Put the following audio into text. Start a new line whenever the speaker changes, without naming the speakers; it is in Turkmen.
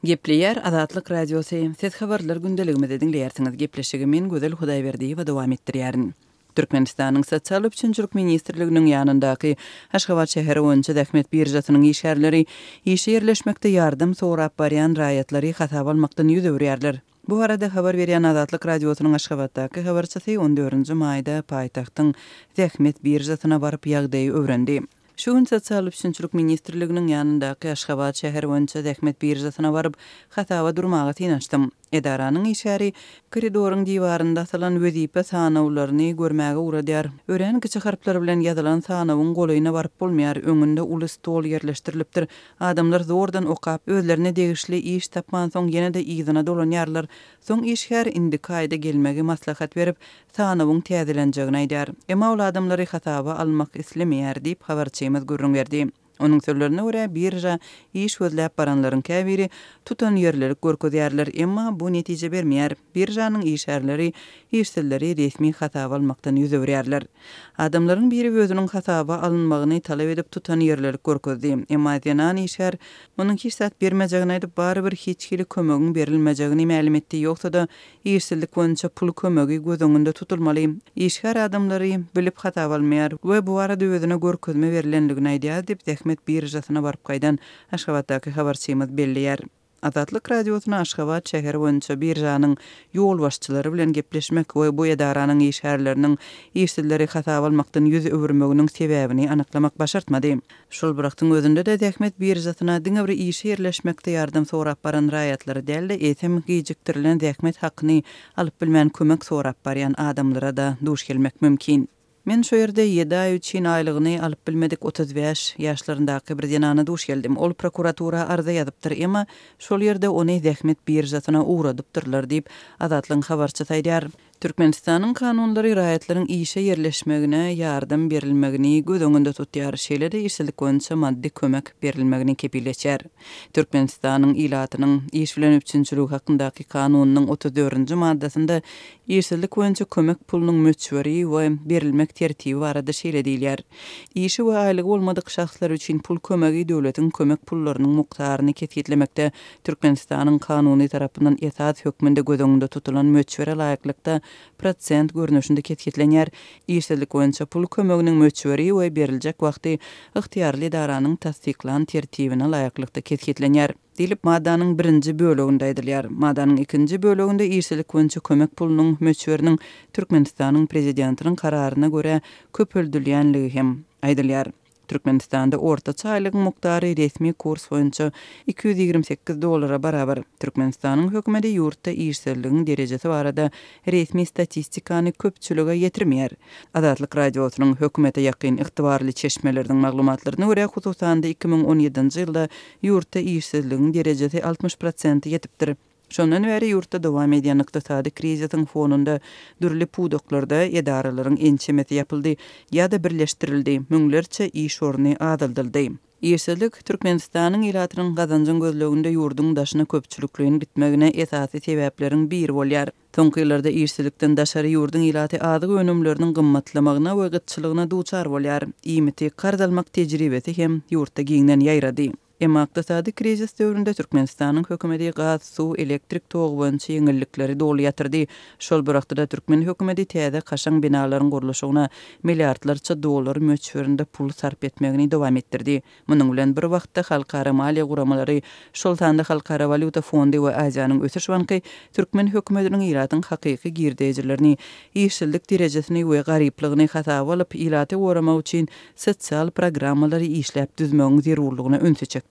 Gepleýär Azatlyk Radiosy, Siz habarlar gündeligimizi diňleýärsiňiz. Gepleşigi men Gözel Hudaýberdiýewa dowam etdirýärin. Türkmenistanyň Sosial üpjünçilik ministrliginiň ýanyndaky Aşgabat şäheri boýunça zähmet biržasynyň işgärleri işe ýerleşmekde ýardam sorap barýan raýatlary hasaba almakdan ýüz öwürýärler. Bu barada habar berýän Azatlyk Radiosynyň Aşgabatdaky habarçysy on dördünji maýda paýtagtyň zähmet biržasyna baryp ýagdaýy öwrendi. Şu gün Sosial üpjünçilik ministrliginiň ýanyndaky Aşgabat şäheri boýunça zähmet biržasyna baryp, hasaba durmaga synanyşdym. Edaranyň işgäri koridoryň diwarynda asylan wezipe sanawlaryny görmäge ugradýar. Örän kiçi harplar bilen ýazylan sanawyň golaýyna baryp bolmaýar, öňünde uly stol ýerleşdirilipdir. Adamlar zordan okap, özlerine degişli iş tapmansoň ýene-de yzyna dolanýarlar. Soň işgär indiki aýda gelmegi maslahat berip, sanawyň täzelenjegini aýdýar. Emma ol adamlary hasaba almak islemeýär diýip, habarçymyz gürrüň berdi. Onuň sözlerine görä, birža iş gözläp baranlaryň käbiri tutanýerlilik görkezýärler, emma bu netije bermeýär. Biržanyň işgärleri işsizleri resmi hasaba almakdan ýüz öwürýärler. Adamlaryň biri özüniň hasaba alynmagyny talap edip tutanýerlilik görkezdi. Emma zenan işgär onuň hiç zat bermejegini aýdyp, barybir hiç hili kömegiň berilmejegini mälim etdi, ýogsa-da Işsizlik boýunça pul kömegi göz öňünde tutulmaly. Işgär adamlary bilip hasaba almaýar we bu barada özüne görkezme berlendigini aýdýar diýip, zähmet biržasyna baryp gaýdan Aşgabatdaky habarçymyz belleýär. Azatlyk Radiosyna Aşgabat şäheri boýunça biržanyň ýolbaşçylary bilen gepleşmek we bu edaranyň işgärleriniň işsizleri hasaba almakdan ýüz öwürmeginiň sebäbini anyklamak başartmady. Şol bir wagtyň özünde-de zähmet biržasyna diňe bir işe ýerleşmekde ýardam sorap baran raýatlary däl-de, eýsem, gijikdirilen zähmet hakyny alyp bilmän kömek sorap barýan adamlara-da duş gelmek mümkin. Men şo ýerde ýedi aý üçin aýlygyny alyp bilmedik 35 ýaşlaryndaky bir zenana duş geldim. Ol prokuratura arza ýazypdyr, emma şol ýerde ony zähmet biržasyna ugradypdyrlar diýip, Azatlygyň habarçysy aýdýar. Türkmenistanyň kanunlary raýatlaryň işe ýerleşmegine ýardam berilmegini göz öňünde tutýar, şeýle-de işsizlik boýunça maddy kömek berilmegini kepil geçýär. Türkmenistanyň ilatynyň iş bilen üpjünçiligi hakyndaky kanunynyň 34-nji maddasynda işsizlik boýunça kömek pulunyň möçberi we berilmek tertibi barada şeýle diýilýär, Işi we aýlygy bolmadyk şahslar üçin pul kömegi döwletiň kömek pullarynyň mukdaryny kesgitlemekde Türkmenistanyň kanuny tarapyndan esas hökmünde göz öňünde tutulan möçbere laýyklykda prosent görnüşinde kesgitlenýär. Işsizlik boýunça pul kömeginiň möçberi we beriljek wagty ygtyýarly edaranyň tassyklan tertibine laýyklykda kesgitlenýär. Diýlip, maddanyň birinji böleginde aýdylýar. Maddanyň ikinji böleginde işsizlik boýunça kömek pulunyň möçberiniň Türkmenistanyň Prezidentiniň kararyna görä köpeldilýänligi hem aýdylýar. Türkmenistanda ortaça aýlygyň mukdary resmi kurs boýunça 228 dollara barabar. Türkmenistanyň hökümeti ýurtda işsizligiň derejesi barada resmi statistikany köpçülige ýetirmeýär. Azatlyk Radiosynyň hökümete ýakyn ygtybarly çeşmeleriniň maglumatlaryna görä, hususan-da 2017-nji ýylda ýurtda işsizligiň derejesi 60 prosente ýetipdir. Şondan bäri ýurtda dowam edýän ykdysady krizisiň fonunda dürli pudaklarda edaralaryň ençemesi ýapyldy ýa-da birleşdirildi, müňlerçe iş orny azaldyldy. Işsizlik Türkmenistanyň ilatynyň gazanjyň gözleginde ýurduň daşyna köpçülikleýin gitmegine esasy sebäpleriň biri bolýar. Soňky ýyllarda işsizlikden daşary ýurduň ilaty azyk önümleriniň gymmatlamagyna we gytçylygyna duçar bolýar. Iýmiti karz almak tejribesi hem ýurtda giňden ýaýrady. Emma ykdysady krizis döwründe Türkmenistanyň hökümeti gaz, suw, elektrik togy boýunça ýeňillikleri doly ýatyrdy. Şol bir wagtda-da türkmen hökümeti täze kaşaň binalaryň gurluşygyna milliardlarça dollar möçberinde pul sarp etmegini dowam etdirdi. Munuň bilen bir wagtda halkara maliýe guramalary, şol sanda Halkara walýuta fondy we Aziýanyň ösüş banky türkmen hökümetiniň ilatyň hakyky girdejilerini, işsizlik derejesini we garyplygyny hasaba alyp, ilaty goramak üçin sosial programmalary işläp düzmegiň zerurlygyna ünsi çekdi.